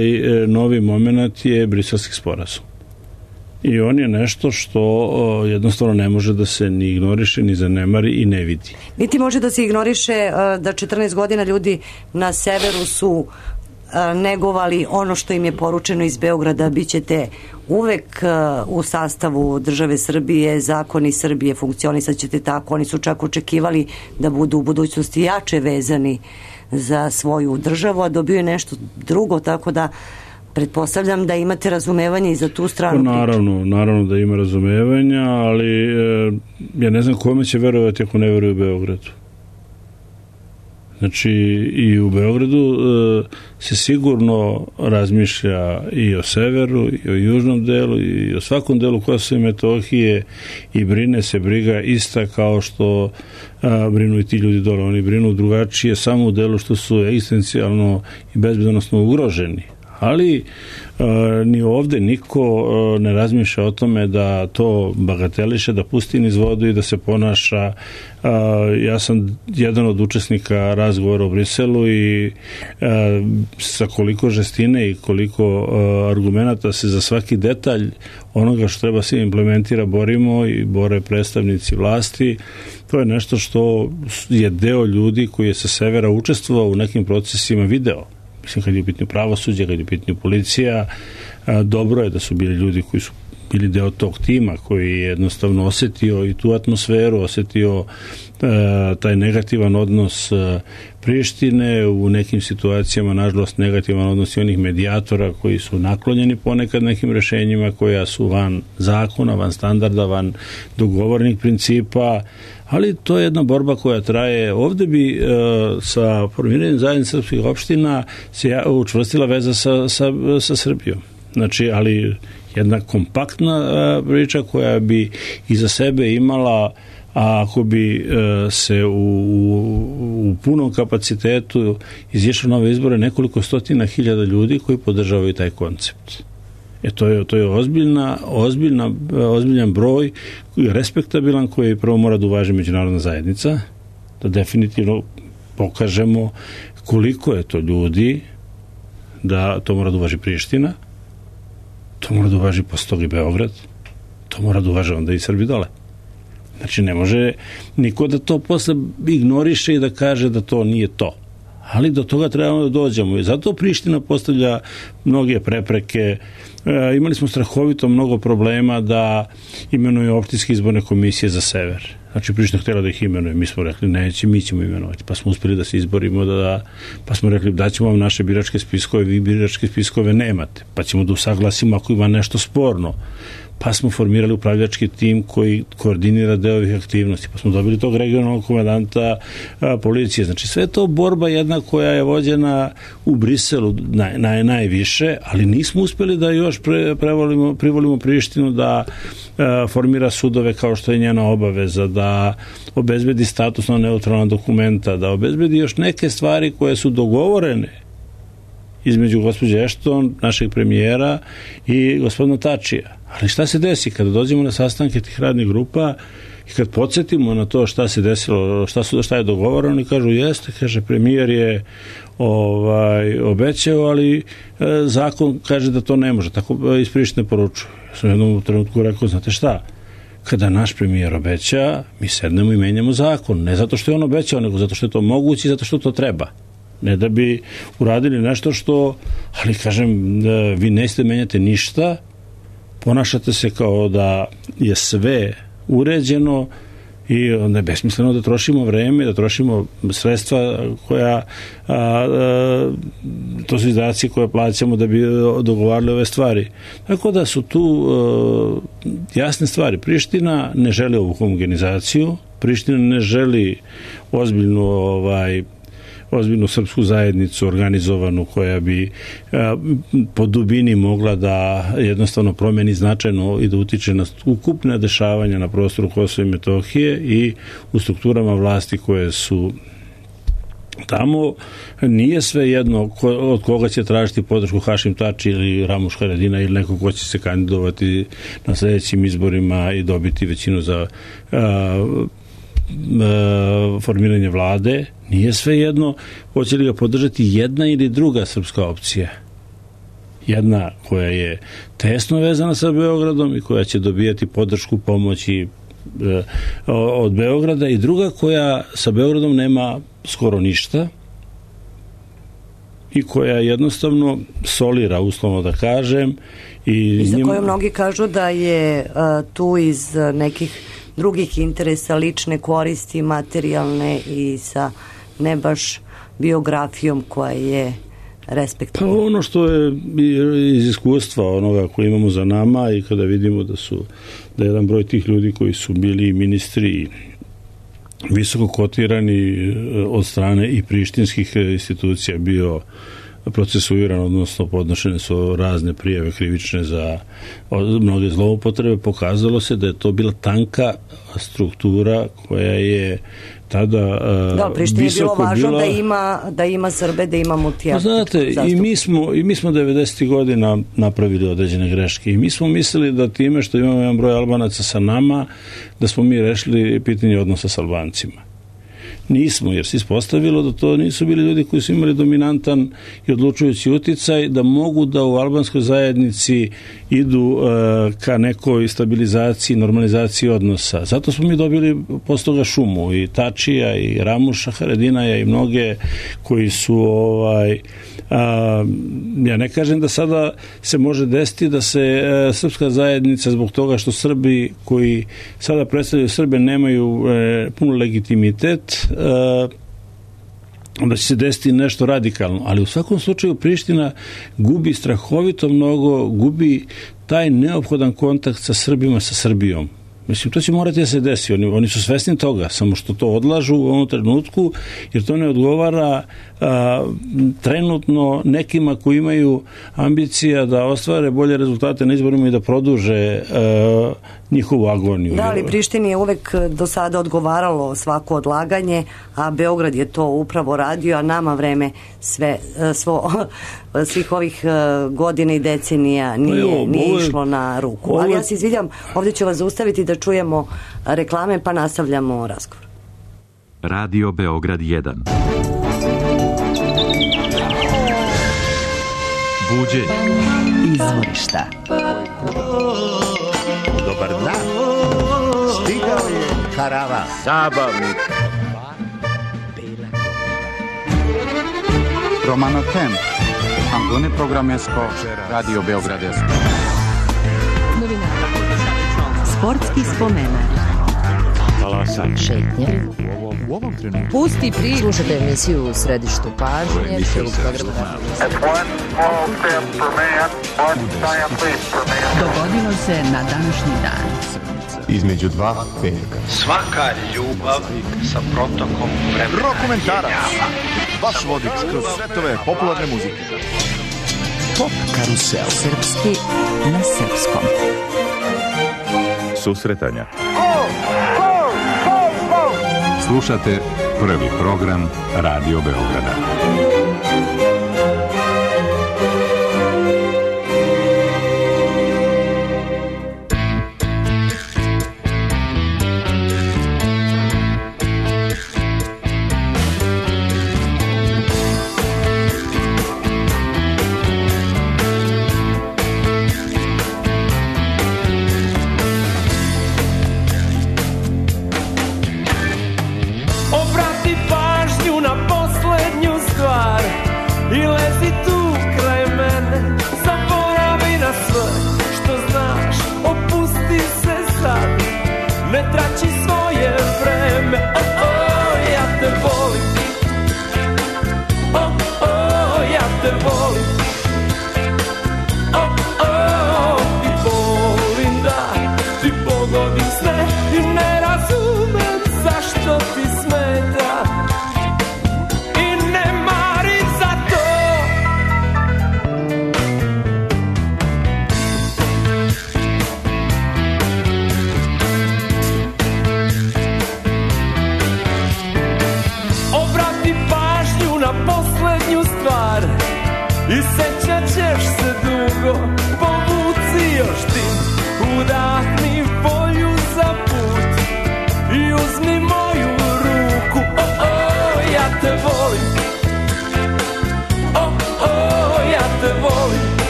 novi moment je Briselski sporazum. I on je nešto što jednostavno ne može da se ni ignoriše, ni zanemari i ne vidi. Niti može da se ignoriše da četrnaest godina ljudi na severu su negovali ono što im je poručeno iz Beograda, bit ćete uvek u sastavu države Srbije, zakoni Srbije, funkcionisat ćete tako. Oni su čak očekivali da budu u budućnosti jače vezani za svoju državu, a dobio je nešto drugo, tako da pretpostavljam da imate razumevanje i za tu stranu. Naravno, naravno da ima razumevanja, ali e, ja ne znam kome će verovati ako ne veruje u Beogradu. Znači, i u Beogradu e, se sigurno razmišlja i o severu, i o južnom delu, i o svakom delu Kosova i Metohije i brine se briga ista kao što a, brinu i ti ljudi dole. Oni brinu drugačije samo u delu što su egzistencijalno i bezbednosno ugroženi. Ali e, ni ovde niko e, ne razmišlja o tome da to bagateliše, da pusti niz vodu i da se ponaša. E, ja sam jedan od učesnika razgovora u Briselu i e, sa koliko žestine i koliko e, argumenata se za svaki detalj onoga što treba se implementira borimo i bore predstavnici vlasti. To je nešto što je deo ljudi koji je sa severa učestvovao u nekim procesima video. Mislim, kad je u pitanju pravosuđe, kad je u pitanju policija, dobro je da su bili ljudi koji su bili deo tog tima, koji je jednostavno osetio i tu atmosferu, osetio taj negativan odnos Prištine, u nekim situacijama, nažalost, negativan odnos i onih medijatora koji su naklonjeni ponekad nekim rešenjima koja su van zakona, van standarda, van dogovornih principa, ali to je jedna borba koja traje. Ovde bi e, sa formiranjem zajednice srpskih opština se učvrstila veza sa, sa, sa Srbijom. Znači, ali jedna kompaktna e, priča koja bi iza sebe imala, a ako bi e, se u, u, u punom kapacitetu izišlo nove izbore, nekoliko stotina hiljada ljudi koji podržavaju taj koncept. E to je, to je ozbiljna, ozbiljna, ozbiljan broj, respektabilan, koji prvo mora da uvaži međunarodna zajednica, da definitivno pokažemo koliko je to ljudi, da to mora da uvaži Priština, to mora da uvaži posle toga i Beograd, to mora da uvaži onda i Srbi dole. Znači ne može niko da to posle ignoriše i da kaže da to nije to. Ali do toga trebamo da dođemo i zato Priština postavlja mnoge prepreke. E, imali smo strahovito mnogo problema da imenuje opštinske izborne komisije za sever. Znači Priština htjela da ih imenuje, mi smo rekli neće, mi ćemo imenovati, pa smo uspjeli da se izborimo, da, da pa smo rekli da ćemo vam naše biračke spiskove, vi biračke spiskove nemate, pa ćemo da usaglasimo ako ima nešto sporno. Pa smo formirali upravljački tim koji koordinira deo ovih aktivnosti, pa smo dobili tog regionalnog komandanta a, policije. Znači sve to borba jedna koja je vođena u Briselu naj, naj, najviše, ali nismo uspjeli da još pre, prevolimo, privolimo Prištinu da a, formira sudove kao što je njena obaveza, da obezbedi statusno neutralna dokumenta, da obezbedi još neke stvari koje su dogovorene između gospođe Ešton, našeg premijera, i gospodina Tačija. Ali šta se desi kada dođemo na sastanke tih radnih grupa i kad podsjetimo na to šta se desilo, šta, su, šta je dogovoreno, oni kažu jeste, kaže premijer je ovaj, obećao, ali e, zakon kaže da to ne može, tako iz Prištine poručuju. Ja sam jednom trenutku rekao, znate šta, kada naš premijer obeća, mi sednemo i menjamo zakon, ne zato što je on obećao, nego zato što je to moguće i zato što to treba. Ne da bi uradili nešto što, ali kažem, vi nećete menjati ništa, ponašate se kao da je sve uređeno i onda je besmisleno da trošimo vreme, da trošimo sredstva koja, a, a, to su izdaci koje plaćamo da bi dogovarali ove stvari. Tako da su tu a, jasne stvari. Priština ne želi ovu homogenizaciju, Priština ne želi ozbiljnu ovaj ozbiljnu srpsku zajednicu organizovanu koja bi a, po dubini mogla da jednostavno promeni značajno i da utiče na ukupne dešavanja na prostoru Kosova i Metohije i u strukturama vlasti koje su tamo. Nije sve jedno ko, od koga će tražiti podršku Hašim Tači ili Ramuš Haradinaj ili neko ko će se kandidovati na sledećim izborima i dobiti većinu za a, formiranje vlade. Nije sve jedno hoće li ga podržati jedna ili druga srpska opcija. Jedna koja je tesno vezana sa Beogradom i koja će dobijati podršku, pomoći e, od Beograda, i druga koja sa Beogradom nema skoro ništa i koja jednostavno solira, uslovno da kažem. I, I za njim... koju mnogi kažu da je a, tu iz nekih drugih interesa, lične koristi, materijalne i sa ne baš biografijom koja je respektabilna. Pa ono što je iz iskustva onoga koje imamo za nama i kada vidimo da su da je jedan broj tih ljudi koji su bili ministri visoko kotirani od strane i prištinskih institucija bio procesuiran, odnosno podnošene su razne prijave krivične za mnoge zloupotrebe, pokazalo se da je to bila tanka struktura koja je tada da, Prištini je bilo važno bila... da ima da ima Srbe, da ima multietničku zastupljenost. Znate, i mi smo i mi smo devedesetih godina napravili određene greške i mi smo mislili da time što imamo jedan broj Albanaca sa nama, da smo mi rešili pitanje odnosa sa Albancima. Nismo, jer se ispostavilo da to nisu bili ljudi koji su imali dominantan i odlučujući uticaj, da mogu da u albanskoj zajednici idu uh, ka nekoj stabilizaciji, normalizaciji odnosa. Zato smo mi dobili posle toga šumu i Tačija i Ramuša Haradinaja i mnoge koji su ovaj a, ja ne kažem da sada se može desiti da se a, srpska zajednica zbog toga što Srbi koji sada predstavljaju Srbe nemaju e, puno legitimitet, a, da će se desiti nešto radikalno, ali u svakom slučaju Priština gubi strahovito mnogo, gubi taj neophodan kontakt sa Srbima, sa Srbijom. Mislim, to će morati da se desi. Oni, oni su svesni toga, samo što to odlažu u ovom trenutku, jer to ne odgovara a, trenutno nekima koji imaju ambicija da ostvare bolje rezultate na izborima i da produže a, njihovu agoniju. Da, ali Prištini je uvek do sada odgovaralo svako odlaganje, a Beograd je to upravo radio, a nama vreme sve, svo, svih ovih godina i decenija nije, pa jo, nije ove, išlo na ruku. Ove... Ali ja se izvidjam, ovdje ću vas zaustaviti da čujemo reklame, pa nastavljamo razgovor. Radio Beograd jedan. Buđenje. Izvorišta. Dobar dan. Stigao je karavan. Zabavnik. Romano Tem. Antone Programesko. Radio Beogradesko. Sportski spomenak. Talasanje. Šetnje. U ovom trenutku. Pusti priču. Slušajte emisiju u središtu pažnje. Dogodilo se na današnji dan. Između dva velika. Svaka ljubav sa protokom vremena. Rokomentarac. Vaš vodič kroz svetove popularne muzike. Pop karusel. Srpski na srpskom. Susretanja. Slušate prvi program Radio Beograda. Obrati pažnju na poslednju stvar.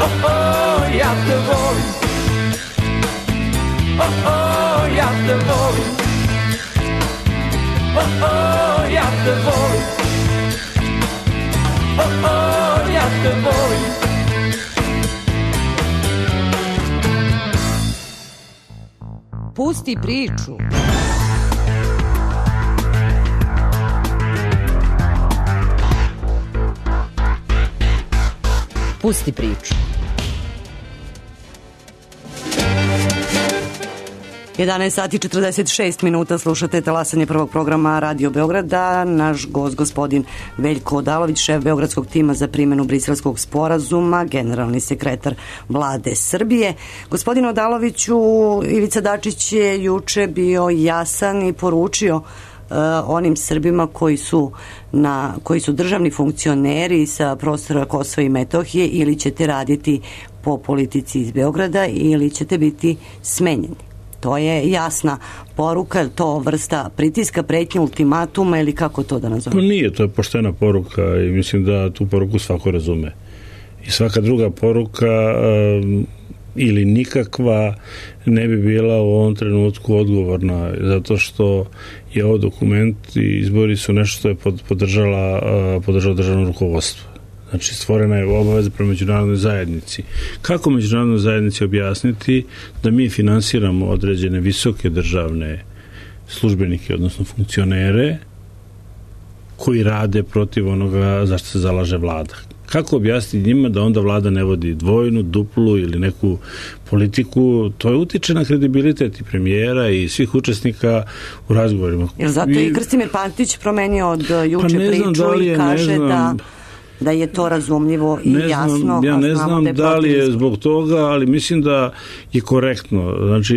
oh, oh, ja te volim. Oh, oh, ja te volim. Oh, oh, ja te volim. Oh, oh, ja te volim. Pusti priču. Pusti priču. jedanaest sati četrdeset šest minuta, slušate talasanje prvog programa Radio Beograda. Naš gost, gospodin Veljko Odalović, šef Beogradskog tima za primjenu Briselskog sporazuma, generalni sekretar Vlade Srbije. Gospodin Odaloviću, Ivica Dačić je juče bio jasan i poručio Uh, onim Srbima koji su, na, koji su državni funkcioneri sa prostora Kosova i Metohije, ili ćete raditi po politici iz Beograda ili ćete biti smenjeni. To je jasna poruka, to vrsta pritiska, pretnje, ultimatuma ili kako to da nazovem? Pa nije, to je poštena poruka i mislim da tu poruku svako razume. I svaka druga poruka um, ili nikakva ne bi bila u ovom trenutku odgovorna, zato što je ovo dokument i izbori su nešto što je podržala, podržalo državno rukovodstvo. Znači, stvorena je obaveza prema međunarodnoj zajednici. Kako međunarodnoj zajednici objasniti da mi finansiramo određene visoke državne službenike, odnosno funkcionere, koji rade protiv onoga zašto se zalaže vlada? Kako objasniti njima da onda vlada ne vodi dvojnu, duplu ili neku politiku? To je utiče na kredibilitet i premijera i svih učesnika u razgovorima. Jer zato I... i Krstimir Pantić promenio od juče pa priču da i kaže da da je to razumljivo i ne jasno. Znam, ja ne znam da, da li je zbog toga, ali mislim da je korektno. Znači,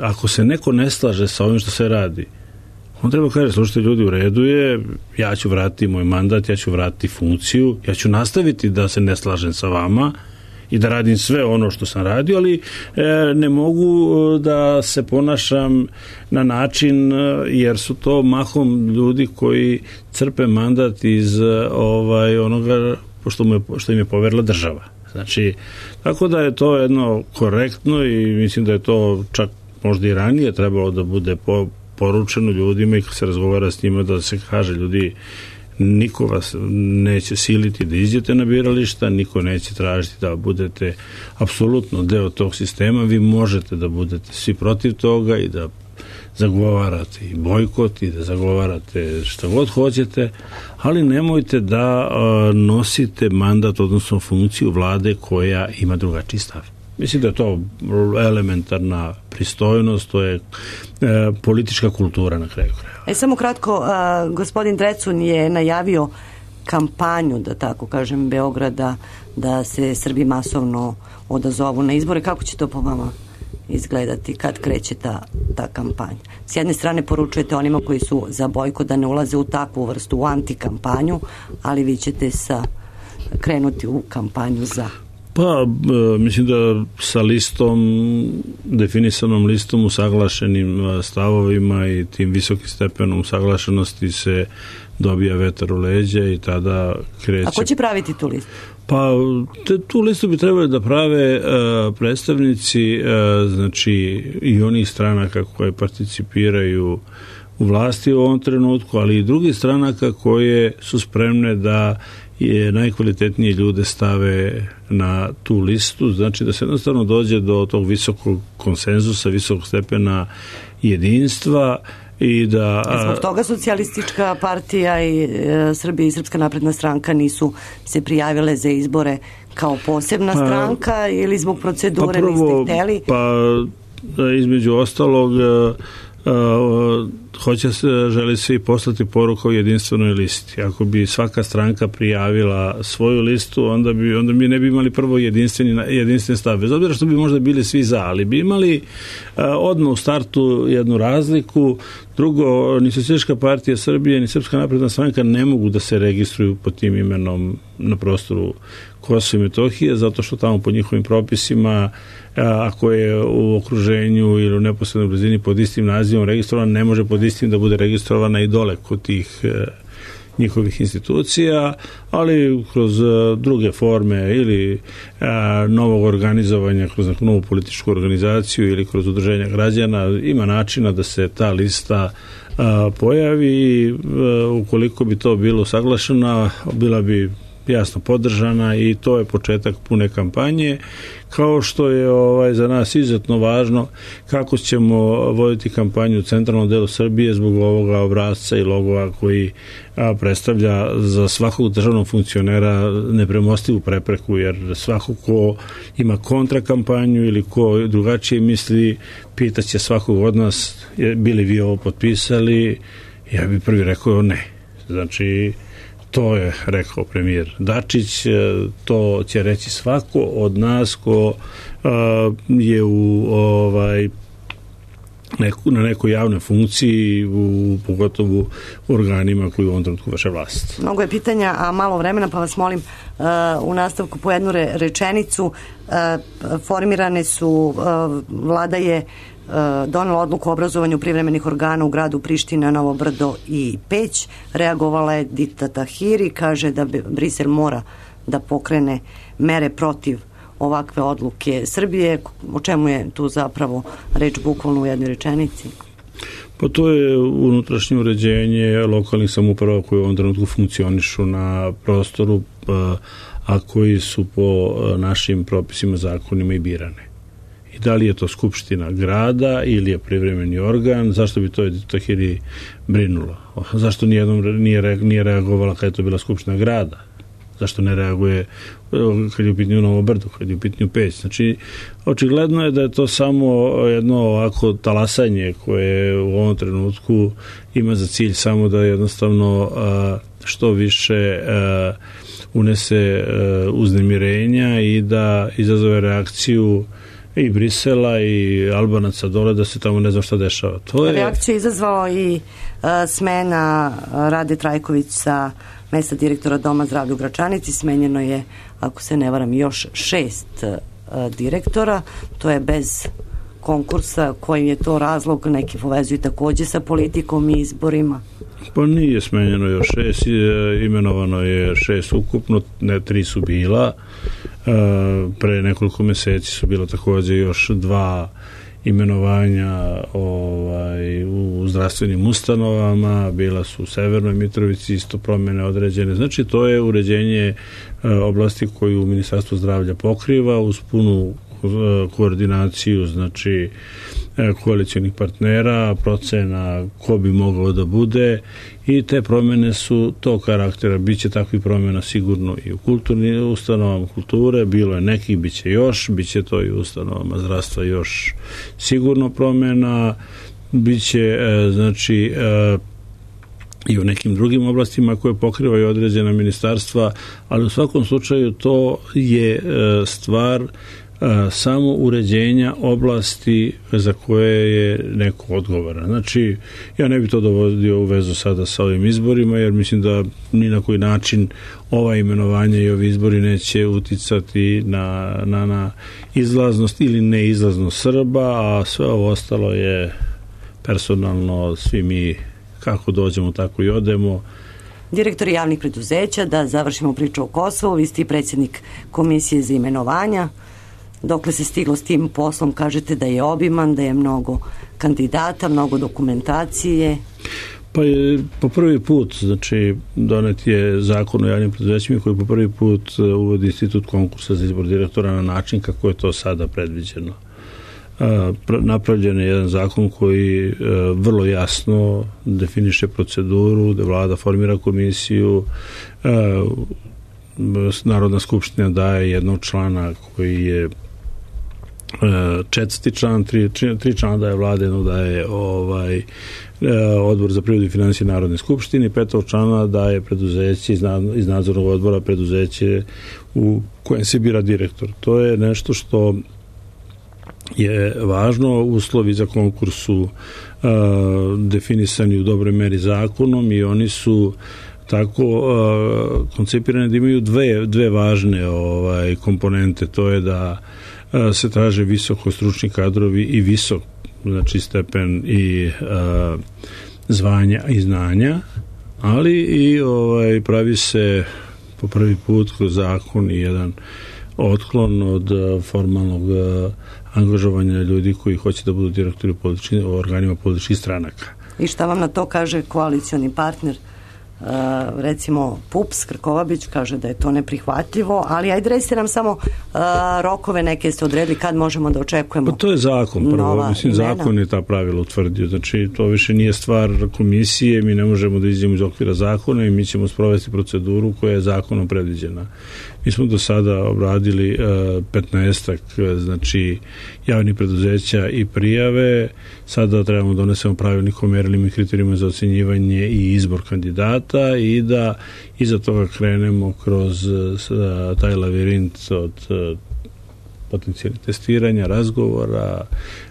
ako se neko ne slaže sa ovim što se radi, on treba kaže, slušajte ljudi, u redu je, ja ću vratiti moj mandat, ja ću vratiti funkciju, ja ću nastaviti da se ne slažem sa vama i da radim sve ono što sam radio, ali e, ne mogu da se ponašam na način, jer su to mahom ljudi koji crpe mandat iz ovaj, onoga što, mu je, što im je poverila država. Znači, tako da je to jedno korektno i mislim da je to čak možda i ranije trebalo da bude po poručeno ljudima i kad se razgovara s njima da se kaže ljudi, niko vas neće siliti da iđete na birališta, niko neće tražiti da budete apsolutno deo tog sistema, vi možete da budete svi protiv toga i da zagovarate i bojkot i da zagovarate šta god hoćete, ali nemojte da uh, nosite mandat, odnosno funkciju vlade koja ima drugačiji stav. Mislim da je to elementarna pristojnost, to je e, politička kultura na kraju kraja. E, samo kratko, a, gospodin Drecun je najavio kampanju, da tako kažem, Beograda, da se Srbi masovno odazovu na izbore. Kako će to po vama izgledati kad kreće ta, ta kampanja? S jedne strane poručujete onima koji su za bojkot da ne ulaze u takvu vrstu, u antikampanju, ali vi ćete sa, krenuti u kampanju za... Pa, mislim da sa listom, definisanom listom, usaglašenim stavovima i tim visokim stepenom usaglašenosti se dobija vetar u leđa i tada kreće... A ko će praviti tu listu? Pa, te, tu listu bi trebali da prave uh, predstavnici, uh, znači, i onih stranaka koje participiraju u vlasti u ovom trenutku, ali i drugih stranaka koje su spremne da je najkvalitetnije ljude stave na tu listu, znači da se jednostavno dođe do tog visokog konsenzusa, visokog stepena jedinstva i da... Zbog toga Socijalistička partija i e, Srbija i Srpska napredna stranka nisu se prijavile za izbore kao posebna pa, stranka ili zbog procedure pa prvo, niste hteli? Pa između ostalog Uh, hoće se, želi se i poslati poruka o jedinstvenoj listi. Ako bi svaka stranka prijavila svoju listu, onda bi, onda bi ne bi imali prvo jedinstveni, jedinstven stav. Bez obzira što bi možda bili svi za, ali bi imali uh, odmah u startu jednu razliku. Drugo, ni Socijalistička partija Srbije, ni Srpska napredna stranka ne mogu da se registruju pod tim imenom na prostoru Kosova i Metohije, zato što tamo po njihovim propisima, ako je u okruženju ili u neposrednoj blizini pod istim nazivom registrovan, ne može pod istim da bude registrovana i dole kod tih njihovih institucija, ali kroz druge forme ili a, novog organizovanja, kroz neku novu političku organizaciju ili kroz udruženja građana, ima načina da se ta lista a, pojavi i a, ukoliko bi to bilo saglašena, bila bi jasno podržana i to je početak pune kampanje, kao što je ovaj za nas izuzetno važno kako ćemo voditi kampanju u centralnom delu Srbije zbog ovoga obrasca i logova koji a, predstavlja za svakog državnog funkcionera nepremostivu prepreku, jer svako ko ima kontrakampanju ili ko drugačije misli, pitaće svakog od nas bili vi ovo potpisali, ja bih prvi rekao ne. Znači, to je rekao premijer Dačić, to će reći svako od nas ko uh, je u ovaj neku, na nekoj javnoj funkciji, u, pogotovo u organima koji u ovom trenutku vrše vlast. Mnogo je pitanja, a malo vremena, pa vas molim uh, u nastavku po jednu re, rečenicu. Uh, formirane su, uh, vlada je donela odluku o obrazovanju privremenih organa u gradu Priština, Novo Brdo i Peć. Reagovala je Dita Tahiri, kaže da Brisel mora da pokrene mere protiv ovakve odluke Srbije. O čemu je tu zapravo reč bukvalno u jednoj rečenici? Pa to je unutrašnje uređenje lokalnih samouprava koje u ovom trenutku funkcionišu na prostoru, a koji su po našim propisima, zakonima i birane. I da li je to skupština grada ili je privremeni organ, zašto bi to Tahiri brinulo? Zašto nijednom nije, nije reagovala kad je to bila skupština grada? Zašto ne reaguje kad je u pitanju Novo Brdo, kad je u pitanju Peć? Znači, očigledno je da je to samo jedno ovako talasanje koje u ovom trenutku ima za cilj samo da jednostavno što više unese uznemirenja i da izazove reakciju i Brisela i Albanaca dole da se tamo ne zna šta dešava. To je... Reakciju je izazvao i uh, smena Rade Trajković sa mesta direktora Doma zdravlja u Gračanici. Smenjeno je, ako se ne varam, još šest uh, direktora. To je bez konkursa. Koji je to razlog? Neki povezuju takođe sa politikom i izborima. Pa nije smenjeno još šest, imenovano je šest ukupno, ne, tri su bila. Pre nekoliko meseci su bilo takođe još dva imenovanja ovaj, u zdravstvenim ustanovama, bila su u Severnoj Mitrovici isto promene određene. Znači, to je uređenje oblasti koju Ministarstvo zdravlja pokriva uz punu koordinaciju, znači koalicionih partnera, procena ko bi mogao da bude, i te promene su tog karaktera. Biće takvih promena sigurno i u kulturnim ustanovama kulture, bilo je nekih, biće još, biće to i u ustanovama zdravstva još sigurno promena, biće znači i u nekim drugim oblastima koje pokrivaju određena ministarstva, ali u svakom slučaju to je stvar samo uređenja oblasti za koje je neko odgovoran. Znači, ja ne bih to dovodio u vezu sada sa ovim izborima, jer mislim da ni na koji način ova imenovanja i ovi izbori neće uticati na, na, na izlaznost ili neizlaznost Srba, a sve ovo ostalo je personalno, svi mi kako dođemo, tako i odemo. Direktori javnih preduzeća, da završimo priču o Kosovu, vi ste i predsjednik Komisije za imenovanja. Dokle se stiglo s tim poslom? Kažete da je obiman, da je mnogo kandidata, mnogo dokumentacije. Pa je po prvi put, znači donet je zakon o javnim preduzećima koji po prvi put uvodi institut konkursa za izbor direktora na način kako je to sada predviđeno. Napravljen je jedan zakon koji vrlo jasno definiše proceduru, da vlada formira komisiju, Narodna skupština daje jednog člana koji je četvrti član, tri, tri člana daje vlade, jednog daje ovaj, odbor za privredu i finansije Narodne skupštine, petog člana daje preduzeće iz nadzornog odbora preduzeće u kojem se bira direktor. To je nešto što je važno. Uslovi za konkurs su uh, definisani u dobroj meri zakonom i oni su tako uh, koncipirane da imaju dve, dve važne ovaj, komponente. To je da uh, se traže visoko stručni kadrovi i visok, znači stepen i uh, zvanja i znanja ali i ovaj, pravi se po prvi put kroz zakon i jedan otklon od formalnog angažovanja ljudi koji hoće da budu direktori u organima političkih stranaka. I šta vam na to kaže koalicioni partner? Uh, recimo P U P S, Krkobabić kaže da je to neprihvatljivo, ali ajde recite nam samo uh, rokove neke ste odredili kad možemo da očekujemo. Pa to je zakon, prvo, mislim, imena. Zakon je ta pravila utvrdio, znači to više nije stvar komisije, mi ne možemo da izdjemo iz okvira zakona i mi ćemo sprovesti proceduru koja je zakonom predviđena. Mi smo do sada obradili uh, petnaestak znači javnih preduzeća i prijave, sada trebamo donesemo pravilnik o mjerilima i kriterijima za ocjenjivanje i izbor kandidata i da iza toga krenemo kroz uh, taj lavirint od uh, potencijalnih testiranja, razgovora,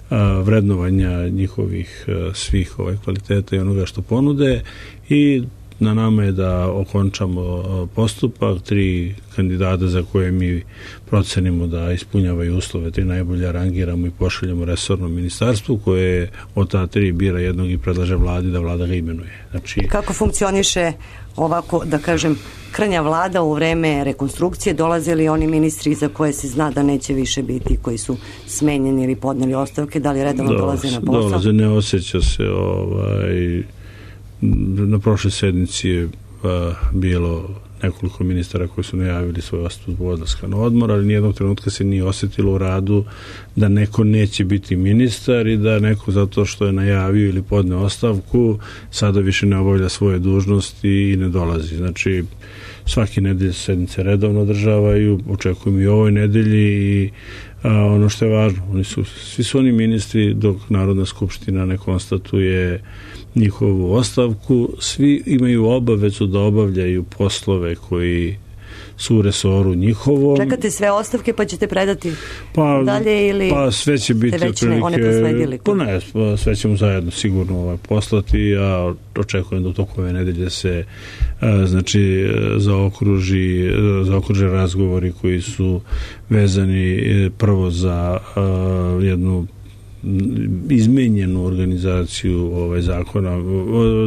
uh, vrednovanja njihovih uh, svih ovaj, kvaliteta i onoga što ponude i na nama je da okončamo postupak, tri kandidata za koje mi procenimo da ispunjavaju uslove, tri najbolje rangiramo i pošaljamo resornom ministarstvu koje od ta tri bira jednog i predlaže vladi da vlada ga imenuje. Znači, kako funkcioniše ovako, da kažem, krnja vlada u vreme rekonstrukcije? Dolaze li oni ministri za koje se zna da neće više biti, koji su smenjeni ili podneli ostavke, da li redovno dolaze na posao? Dolaze, ne osjeća se ovaj... Na prošloj sednici je a, bilo nekoliko ministara koji su najavili svoj odstup zbog odlaska na odmor, ali nijednog trenutka se nije osjetilo u radu da neko neće biti ministar i da neko zato što je najavio ili podne ostavku sada više ne obavlja svoje dužnosti i ne dolazi. Znači, svaki nedelje sednice redovno održavaju, očekujem i ovoj nedelji i a, ono što je važno, oni su, svi su oni ministri dok Narodna skupština ne konstatuje njihovu ostavku, svi imaju obavezu da obavljaju poslove koji su u resoru njihovom. Čekate sve ostavke pa ćete predati pa, dalje ili pa sve će biti već ne, one prosledili? Pa ne, pa sve ćemo zajedno sigurno ovaj, poslati. Ja očekujem da u toku ove nedelje se a, znači zaokruži, zaokruže razgovori koji su vezani prvo za a, jednu izmenjenu organizaciju ovaj zakona,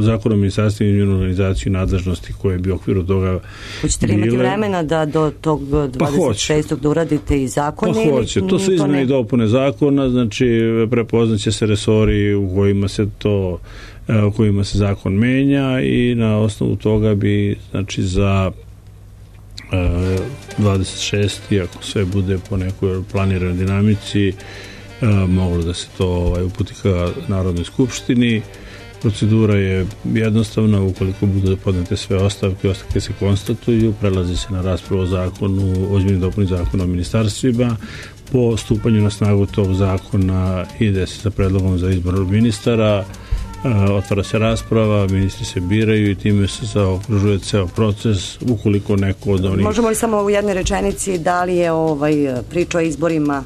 zakon o ministarstvu i izmenjenu organizaciju nadležnosti koje bi u okviru toga hoćete li imati vremena da do tog dvadeset šestog da uradite i zakone? Pa hoće, to su izmene i dopune zakona, znači prepoznaće se resori u kojima se to u kojima se zakon menja i na osnovu toga bi znači za dvadeset šesti ako sve bude po nekoj planiranoj dinamici E, moglo da se to ovaj, uputi ka Narodnoj skupštini. Procedura je jednostavna, ukoliko budu podnete sve ostavke, ostavke se konstatuju, prelazi se na raspravu o zakonu, o izmjeni i dopuni zakona o ministarstvima. Po stupanju na snagu tog zakona ide se sa predlogom za izbor ministara, e, otvara se rasprava, ministri se biraju i time se zaokružuje ceo proces, ukoliko neko od onih... Možemo li samo u jednoj rečenici da li je ovaj priča o izborima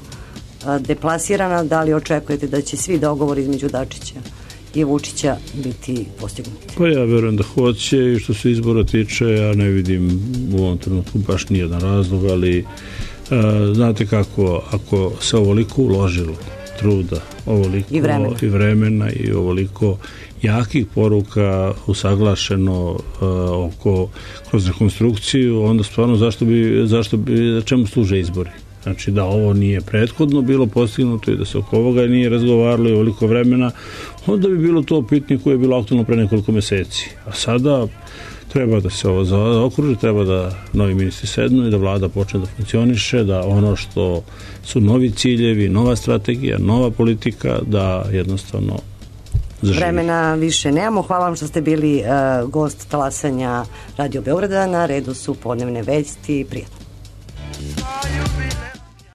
deplasirana, da li očekujete da će svi dogovori između Dačića i Vučića biti postignuti? Pa ja verujem da hoće i što se izbora tiče, ja ne vidim u ovom trenutku baš nijedan razlog, ali a, znate kako, ako se ovoliko uložilo truda, ovoliko i vremena i, vremena, i ovoliko jakih poruka usaglašeno a, oko kroz rekonstrukciju, onda stvarno zašto bi, zašto bi, čemu služe izbori? Znači da ovo nije prethodno bilo postignuto i da se oko ovoga nije razgovaralo i ovoliko vremena, onda bi bilo to pitanje koje je bilo aktualno pre nekoliko meseci. A sada treba da se ovo zaokruži, treba da novi ministri sednu i da vlada počne da funkcioniše, da ono što su novi ciljevi, nova strategija, nova politika, da jednostavno zaživi. Vremena više nemamo. Hvala vam što ste bili uh, gost talasanja Radio Beograda. Na redu su podnevne vesti. Prijatno.